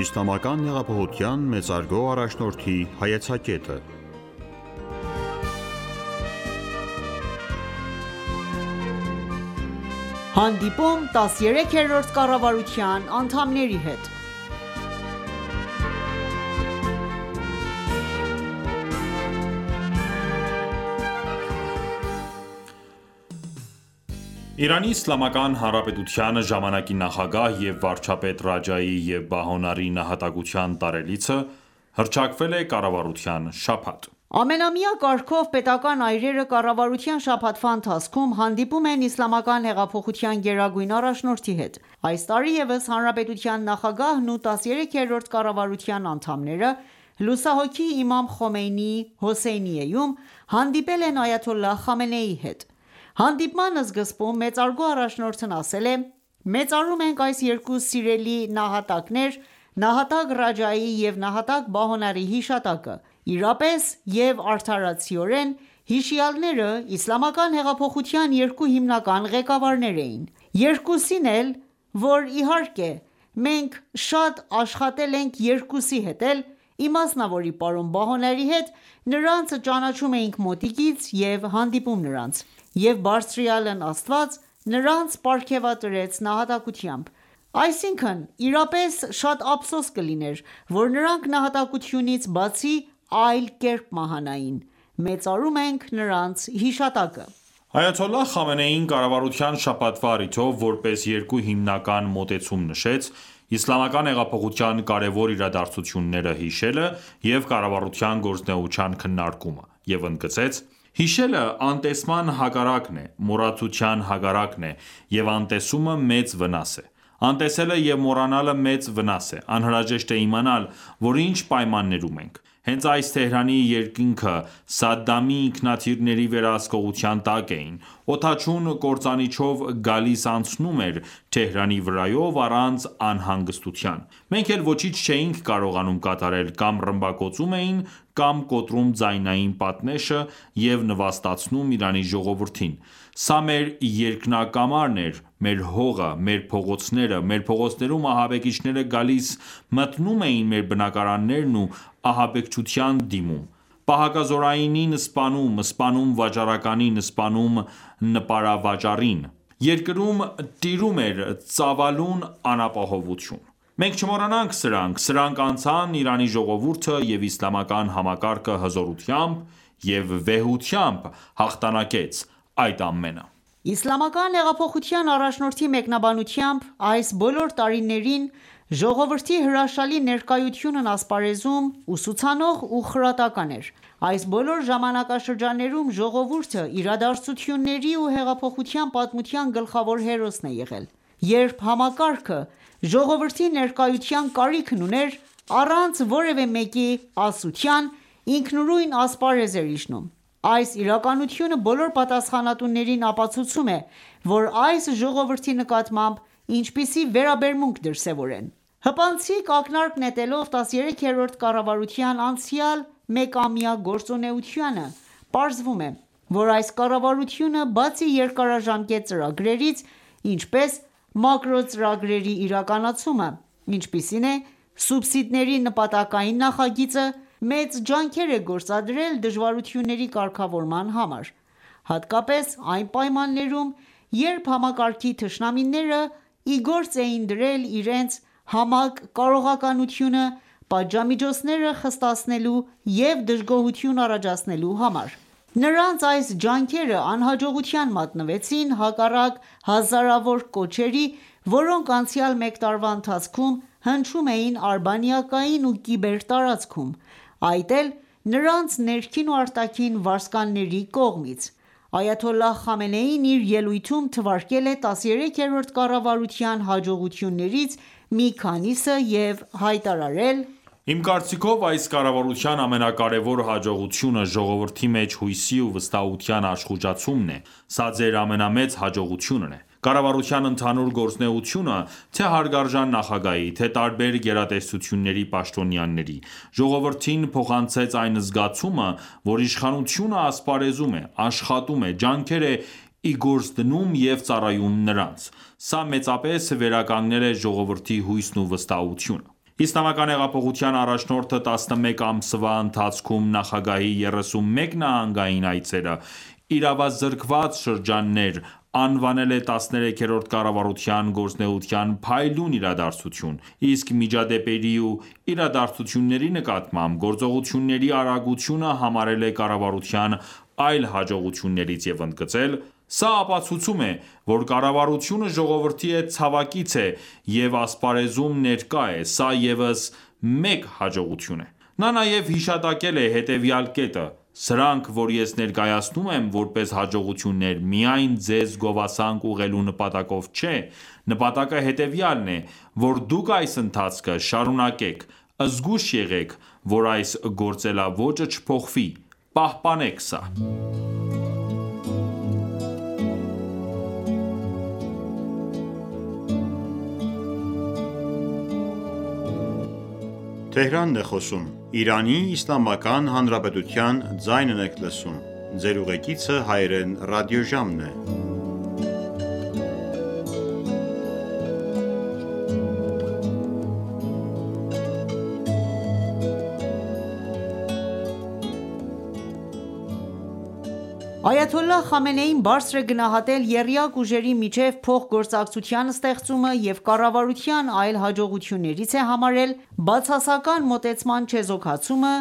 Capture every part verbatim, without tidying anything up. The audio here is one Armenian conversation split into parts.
Իսլամական հեղափոխության մեծարգո առաջնորդի հայեցակետը։ Հանդիպում տասներեքերորդ կառավարության անդամների հետ Իրանի Իսլամական Հանրապետության ժամանակի նախագահ և վարչապետ Ռաջայի և Բահոնարի նահատակության տարելիցը հռչակվել է կառավարության շաբաթ։ Ամենամյա կարգով պետական այրերը կառավարության շաբաթվա ընթացքում հանդիպում են Իսլամական հեղափոխության գերագույն առաջնորդի հետ։ Այս տարի ևս Հանրապետության նախագահն ու տասներեքերորդ կառավարության անդամները լուսահոգի Իմամ Խոմեյնիի Հոսեյնիեում հանդիպել են Այաթոլլահ Խամենեիի հետ։ Հանդիպման սկզբում մեծարգո առաջնորդն ասել է.«Մեծարում ենք այս երկու սիրելի նահատակներ նահատակ Ռաջայի և նահատակ Բահոնարի հիշատակը։ Իրապես և արդարացիորեն հիշյալները իսլամական հեղափոխության երկու հիմնական ղեկավարներ էին։ Երկուսին էլ, որ իհարկե մենք շատ աշխատել ենք երկուսի հետ էլ, իմասնավորի պարոն Բահոնարի հետ, նրանց ճանաչում էինք մոտիկից և հանդիպում նրանց, և բարձրյալն Աստված նրանց պարգևատրեց նահատակությամբ։ Այսինքն իրապես շատ ափսոս կլիներ, որ նրանք նահատակությունից բացի այլ կերպ մահանային։ Մեծարում ենք նրանց հիշատակը»։ Այաթոլլահ Խամենեին կառավարության շաբաթվա առիթով որպես երկու հիմնական մոտեցում նշեց իսլամական հեղափոխության կարևոր իրադարձությունները հիշելը և կառավարության գործունեության քննարկումը և ընդգծեց.«Հիշելը անտեսման հակառակն է, մոռացության հակառակն է և անտեսումը մեծ վնաս է։ Անտեսելը և մոռանալը մեծ վնաս է։ Անհրաժեշտ է իմանալ, որ ինչ պայմաններում ենք։ Հենց այս Թեհրանի երկինքը Սադամի ինքնաթիռների վերահսկողության տակ էին։ Օդաչուն կործանիչով գալիս անցնում էր Թեհրանի վրայով առանց անհանգստության։ Մենք էլ ոչինչ չէինք կարողանում կատարել, կամ ռմբակոծում էին, կամ կոտրում ձայնային պատնեշը և նվաստացնում Իրանի ժողովրդին։ Սա մեր երկնակամարն էր, մեր հողը, մեր փողոցները, մեր փողոցներում ահաբեկիչները գալիս մտնում էին մեր բնակարաններն ու ահաբեկչության դիմում, պահակազորայինին սպանում, սպանում վաճառականին, սպանում նպարավաճառին։ Երկրում տիրում էր ծավալուն անապահովություն։ Մենք չմոռանանք սրանք, սրանք անցան, Իրանի ժողովուրդը և իսլամական համակարգը հզորությամբ և վեհությամբ հաղթանակեց այդ ամենը»։ Իսլամական հեղափոխության առաջնորդի մեկնաբանությամբ այս բոլոր տարիներին ժողովրդի հրաշալի ներկայությունն ասպարեզում ուսուցանող ու խրատական էր։ Այս բոլոր ժամանակաշրջաններում ժողովուրդը իրադարձությունների ու հեղափոխության պատմության գլխավոր հերոսն է եղել։ Երբ համակարգը ժողովրդի ներկայության կարիքն ուներ, առանց որևէ մեկի ասության, ինքնուրույն ասպարեզ էր իջնում։ Այս իրականությունը բոլոր պատասխանատուներին ապացուցում է, որ այս ժողովրդի նկատմամբ ինչպիսի վերաբերմունք դրսևորեն։ Հպանցիկ ակնարկ նետելով տասներեքերորդ կառավարության անցյալ մեկամյա գործունեությանը, պարզվում է, որ այս կառավարությունը բացի երկարաժամկետ ծրագրերից, ինչպես մակրոծրագրերի իրականացումը, ինչպիսին է սուբսիդների նպատակային նախագիծը, մեծ ջանքեր է գործադրել դժվարությունների կարգավորման համար, հատկապես այն պայմաններում, երբ համակարգի թշնամիները ի գործ էին դրել իրենց համակ կարողականությունը պատժամիջոցները խստացնելու և դժգոհություն առաջացնելու համար։ Նրանց այս ջանքերը անհաջողության մատնվեցին հակառակ հազարավոր կոչերի, որոնք անցյալ մեկ տարվա ընթացքում հնչում էին արբանյակային ու կիբեր տարածքում, այդ էլ նրանց ներքին ու արտաքին վարձկանների կողմից։ Այաթոլլահ Խամենեին իր ելույթում թվարկել է տասներեքերորդ կառավարության հաջողություններից մի քանիսը և հայտարարել.«Իմ կարծիքով այս կառավարության ամենակարևոր հաջողությունը ժողովրդի մեջ հույսի ու վստահության աշխուժացումն է։ Սա ձեր ամենամեծ հաջողությունն է։ Կառավարության ընդհանուր գործունեությունը, թե հարգարժան նախագահի, թե տարբեր գերատեսչությունների պաշտոնյաների, ժողովրդին փոխանցեց այն զգացումը, որ իշխանությունը ասպարեզում է, աշխատում է, ջանքեր է ի գործ դնում և ծառայում նրանց։ Սա մեծապես վերականգնել է ժողովրդի հույսն ու վստահությունը։ Իսլամական հեղափոխության առաջնորդը տասնմեկ ամսվա ընթացքում նախագահի երեսունմեկ նահանգային այցերը, իրավազրկված շրջաններ անվանել է տասներեքերորդ կառավարության գործունեության փայլուն իրադարձություն, իսկ միջադեպերի ու իրադարձությունների նկատմամբ գործողությունների արագությունը համարել է կառավարության այլ հաջողություններից և ընդգծել. «Սա ապացուցում է, որ կառավարությունը ժողովրդի հետ ցավակից է և ասպարեզում ներկա է, սա ևս մեկ հաջողություն է»: Նա նաև հիշատակել է հետևյալ կետը. «Սրանք, որ ես ներկայացնում եմ որպես հաջողություններ, միայն ձեզ գովասանք ուղղելու նպատակով չէ, նպատակը հետևյալն է, որ դուք այս ընթացքը շարունակեք, զգույշ եղեք, որ այս գործելաոճը չփոխվի, պահպանեք սա»: Այաթոլլահ Խամենեին բարձր է գնահատել եռյակ ուժերի միջև փոխգործակցության ստեղծումը և կառավարության այլ հաջողություններից է համարել բացասական մոտեցման չեզոքացումը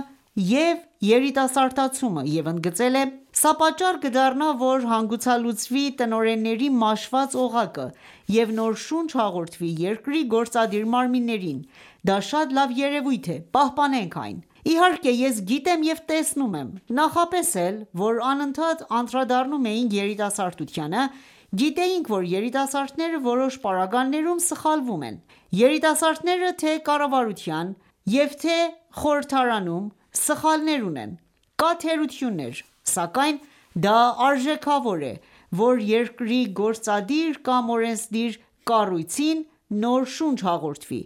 և երիտասարդացումը և ընդգծել է.«Սա պատճառ կդառնա, որ հանգուցալուծվի տնօրենների մաշված օղակը և նոր շունչ հաղորդվի երկրի գործադիր մարմիններին: Դա շատ լավ երևույթ է, պահպանենք այն»: Իհարկե, ես գիտեմ և տեսնում եմ, նախապես էլ, որ անընդհատ անդրադառնում էինք երիտասարդությանը, գիտեինք, որ երիտասարդները որոշ պարագաներում սխալվում են: Երիտասարդները թե կառավարության և թե խորհրդարանում սխալներ ունեն: Կա թերություններ, սակայն դա արժեքավոր է, որ երկրի գործադիր կամ օրենսդիր կառույցին նոր շունչ հաղորդվի: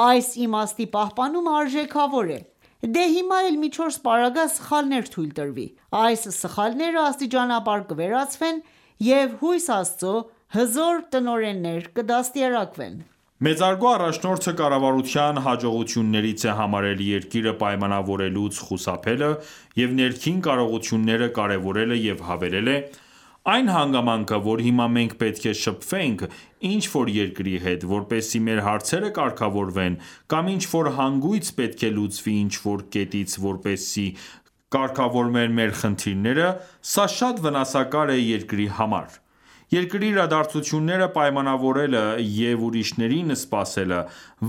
Այս իմաստի պահպանումը արժեքավոր է: Դե հիմա էլ մի չորս պարագա սխալներ թույլ տրվի: Այս սխալները աստիճանաբար կվերացվեն և հույս Աստծո հզոր տնօրեններ կդաստիարակվեն: Մեծարգո առաջնորդը կառավարության հաջողություններից է համարել երկիրը պայմանավորելուց խուսափելը և ներքին կարողությունները կարևորելը և հավելել է.«Այն հանգամանքը, որ հիմա մենք պետք է շփվենք ինչ-որ երկրի հետ, որպեսզի մեր հարցերը կարգավորվեն կամ ինչ-որ հանգույց պետք է լուծվի ինչ-որ կետից որպեսզի կարգավորվեն մեր խնդիրները, սա շատ վնասակար է երկրի համար: Երկրի իրադարձությունները պայմանավորելը և ուրիշներին սպասելը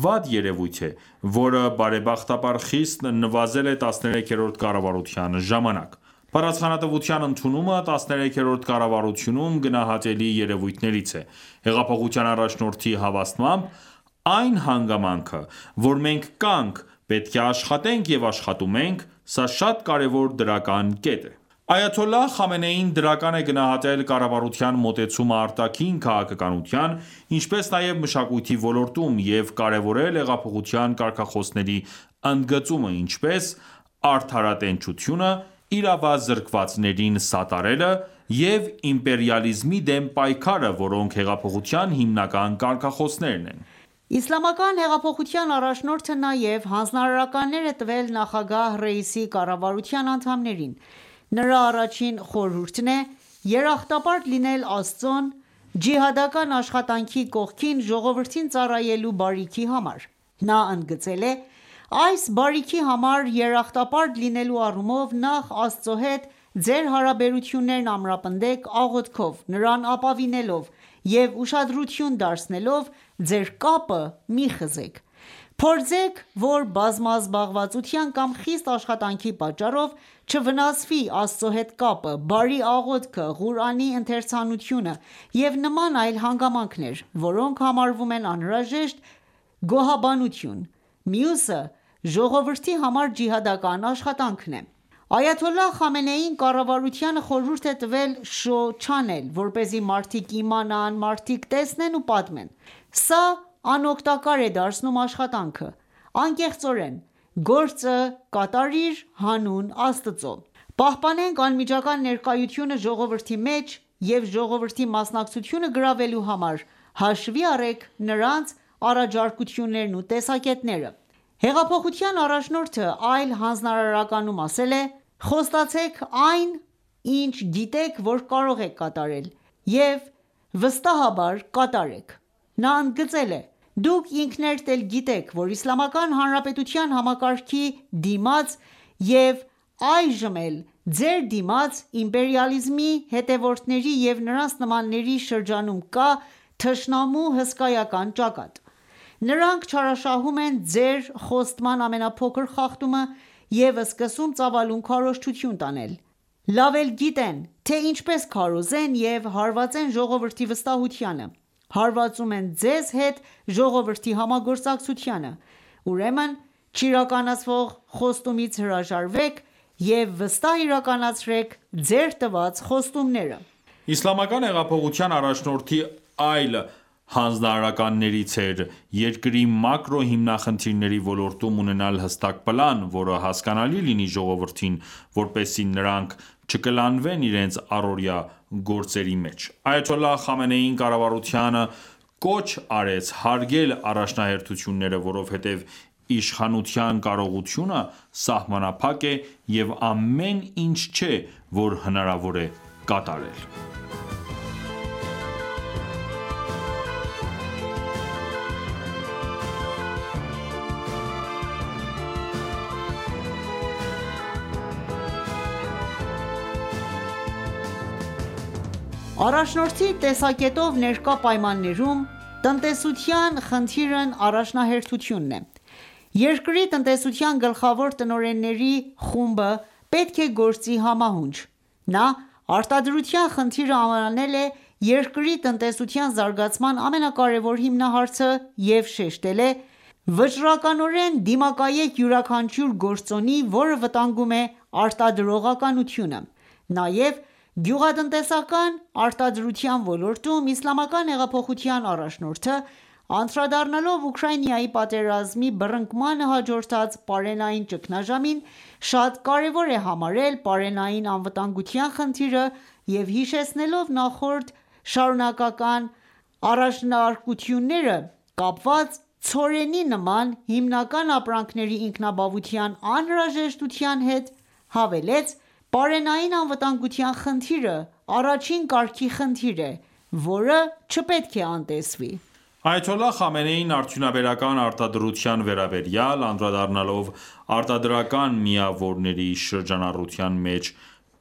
վատ երևույթ է, որը բարեբախտաբար խիստ նվազել է տասներեքերորդ կառավարության ժամանակ: Պատասխանատվության ընդունումը տասներեքերորդ կառավարությունում գնահատելի երևույթներից է: Հեղափոխության առաջնորդի հավաստմամբ, այն հանգամանքը, որ մենք կանք, պետք է աշխատենք և աշխատում ենք, սա շատ կարևոր դրական կետ է»: Այաթոլլահ Խամենեին դրական է գնահատել կառավարության մոտեցումը արտաքին քաղաքականության, ինչպես նաև մշակույթի ոլորտում և կարևորել հեղափոխության կարգախոսների ընդգծումը, ինչպես՝ արդարատենչությունը, իրավազրկվածներին սատարելը և իմպերիալիզմի դեմ պայքարը, որոնք հեղափոխության հիմնական կարգախոսներն են: Իսլամական հեղափոխության առաջնորդը նաև հանձնարարականներ է տվել նախագահ Ռեյիսի կառավարության անդամներին: Նրա առաջին խորհուրդն է երախտապարտ լինել Աստծուն, ջիհադական աշխատանքի կողքին ժողովրդին ծառայելու բարիքի համար: Նա ընդգծել է.«Այս բարիքի համար երախտապարտ լինելու առումով նախ Աստծո հետ ձեր հարաբերություններն ամրապնդեք աղոթքով, Նրան ապավինելով և ուշադրություն դարձնելով ձեր կապը մի խզեք: Փորձեք, որ բազմազբաղվածության կամ խիստ աշխատանքի պատճառով չվնասվի Աստծո հետ կապը, բարի աղոթքը, Ղուրանի ընթերցանությունը և նման այլ հանգամանքներ, որոնք համարվում են անհրաժեշտ գոհաբանություն: Մյուսը ժողովրդի համար ջիհադական աշխատանքն է»: Այաթոլլահ Խամենեին կառավարությանը խորհուրդ է տվել շոու չանել, որպեսզի մարդիկ իմանան, մարդիկ տեսնեն ու պատմեն: Սա անօգտակար է դարձնում աշխատանքը: Անկեղծորեն, գործը կատարիր հանուն Աստծո: Պահպանենք անմիջական ներկայությունը ժողովրդի մեջ և ժողովրդի մասնակցությունը գրավելու համար հաշվի առեք նրանց առաջարկություններն ու տեսակետները: Հեղափոխության առաջնորդը այլ հանձնարարականում ասել է.«Խոստացեք այն, ինչ գիտեք, որ կարող եք կատարել և վստահաբար կատարեք»: Նա ընդգծել է.«Դուք ինքներդ էլ գիտեք, որ Իսլամական Հանրապետության համակարգի դիմաց և այժմ էլ ձեր դիմաց իմպերիալիզմի հետևորդների և նրանց նմանների շրջանում կա թշնամու հսկայական ճակատ: Նրանք չարաշահում են ձեր խոստման ամենափոքր խախտումը և սկսում ծավալուն քարոզչություն տանել: Լավ էլ գիտեն, թե ինչպես քարոզեն և հարվածեն ժողովրդի վստահությանը: Հարվածում են ձեզ հետ ժողովրդի համագործակցությանը: Ուրեմն չիրականացվող խոստումից հրաժարվեք և վստահ իրականացրեք ձեր տված խոստումները»: Իսլամական հեղափոխության առաջնորդի այլ հանձնարարականներից էր երկրի մակրո հիմնախնդիրների ոլորտում ունենալ հստակ պլան, որը հասկանալի լինի ժողովրդին, որպեսզի նրանք չկլանվեն իրենց առօրյա գործերի մեջ: Այաթոլլահ Խամենեին կառավարությանը կոչ արեց հարգել առաջնահերթությունները, որովհետև իշխանության կարողությունը սահմանափակ է և ամեն ինչ չէ, որ հնարավոր է կատարել: Առաջնորդի տեսակետով ներկա պայմաններում տնտեսության խնդիրն առաջնահերթությունն է: Երկրի տնտեսության գլխավոր տնօրենների խումբը պետք է գործի համահունչ: Նա արտադրության խնդիրը անվանել է երկրի տնտեսության զարգացման ամենակարևոր հիմնահարցը և շեշտել է.«Վճռականորեն դիմակայեք յուրաքանչյուր գործոնի, որը վտանգում է արտադրողականությունը»: Նաև գյուղատնտեսական արտադրության ոլորտում Իսլամական հեղափոխության առաջնորդը անդրադառնալով Ուկրաինայի պատերազմի բռնկմանը հաջորդած պարենային ճգնաժամին, շատ կարևոր է համարել պարենային անվտանգության խնդիրը և հիշեցնելով նախորդ շարունակական առաջարկությունները կապված ցորենի նման հիմնական ապրանքների ինքնաբավության անհրաժեշտության հետ, հավելեց.«Պարենային անվտանգության խնդիրը առաջին կարգի խնդիր է, որը չպետք է անտեսվի»: Այաթոլլահ Խամենեին արդյունաբերական արտադրության վերաբերյալ, անդրադառնալով արտադրական միավորների շրջանառության մեջ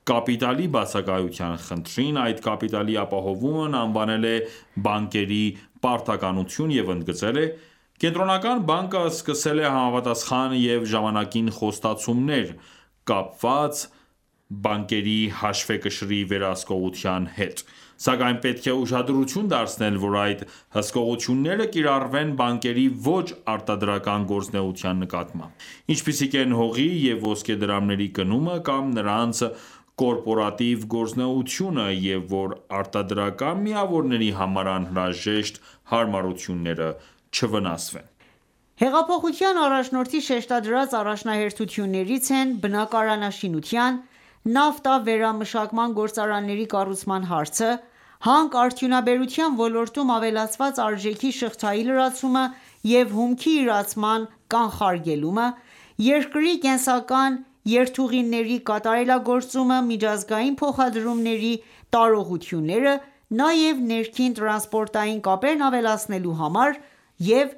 կապիտալի բացակայության խնդրին, այդ կապիտալի ապահովումն անվանել է բանկերի պարտականություն և ընդգծել է.«Կենտրոնական բանկը սկսել է համապատասխան և ժամանակին խոստացումներ՝ կապված բանկերի հաշվեկշռի վերահսկողության հետ: Սակայն պետք է ուշադրություն դարձնել, որ այդ հսկողությունները կիրառվեն բանկերի ոչ արտադրական գործունեության նկատմամբ, ինչպիսիք են հողի և ոսկեդրամների գնումը կամ նրանց կորպորատիվ գործունեությունը և որ արտադրական միավորների համար անհրաժեշտ հարմարությունները չվնասվեն»: Հեղափոխության առաջնորդի շեշտադրած առաջնահերթություններից են բնակարանաշինության, նավթավերամշակման գործարանների կառուցման հարցը, հանքարդյունաբերության ոլորտում ավելացված արժեքի շղթայի լրացումը և հումքի իրացման կանխարգելումը, երկրի կենսական երթուղիների կատարելագործումը, միջազգային փոխադրումների տարողությունները, նաև ներքին տրանսպորտային կապերն ավելացնելու համար և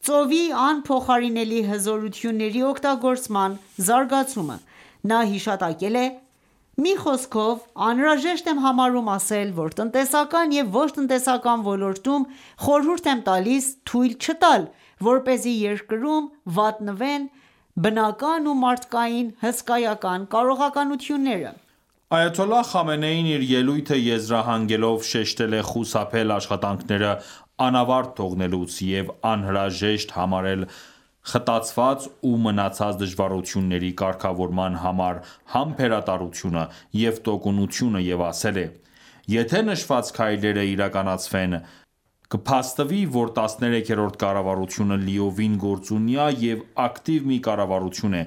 ծովի անփոխարինելի հզորությունների օգտագործման զարգացումը: Նա հիշատակել է.«Մի խոսքով, անհրաժեշտ եմ համարում ասել, որ տնտեսական և ոչ տնտեսական ոլորտում խորհուրդ եմ տալիս թույլ չտալ, որպեսզի երկրում վատնվեն բնական ու մարդկային հսկայական կարողականությունները»: Այաթոլլահ Խամենեին իր ելույթը եզրահանգելով շեշտել է խուսափել աշխատանքները անավարտ թողնելուց և անհրաժեշտ համարել խտացված ու մնացած դժվարությունների կարգավորման համար համբերատարությունը և տոկունությունը և ասել է.«Եթե նշված քայլերը իրականացվեն, կփաստվի, որ տասներեքերորդ կառավարությունը լիովին գործունյա և ակտիվ մի կառավարություն է,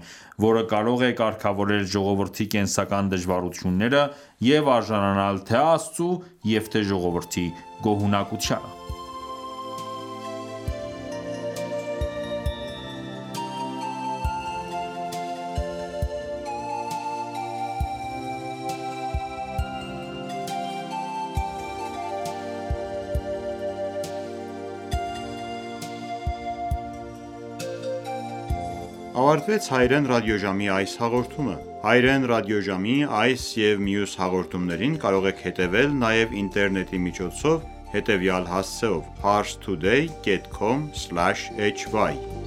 որը կարող է կարգավորել ժողովրդի կենսական դժվարությունները և արժանանալ թե Աստծու և թե ժողովրդի գոհունակությանը»: ավարտվեց հայրեն ռադիոժամի այս հաղորդումը։ Հայրեն ռադիոժամի այս և մյուս հաղորդումներին կարող եք հետևել նաև ինտերնետի միջոցով հետևյալ հասցեով՝ parstoday dot com slash hy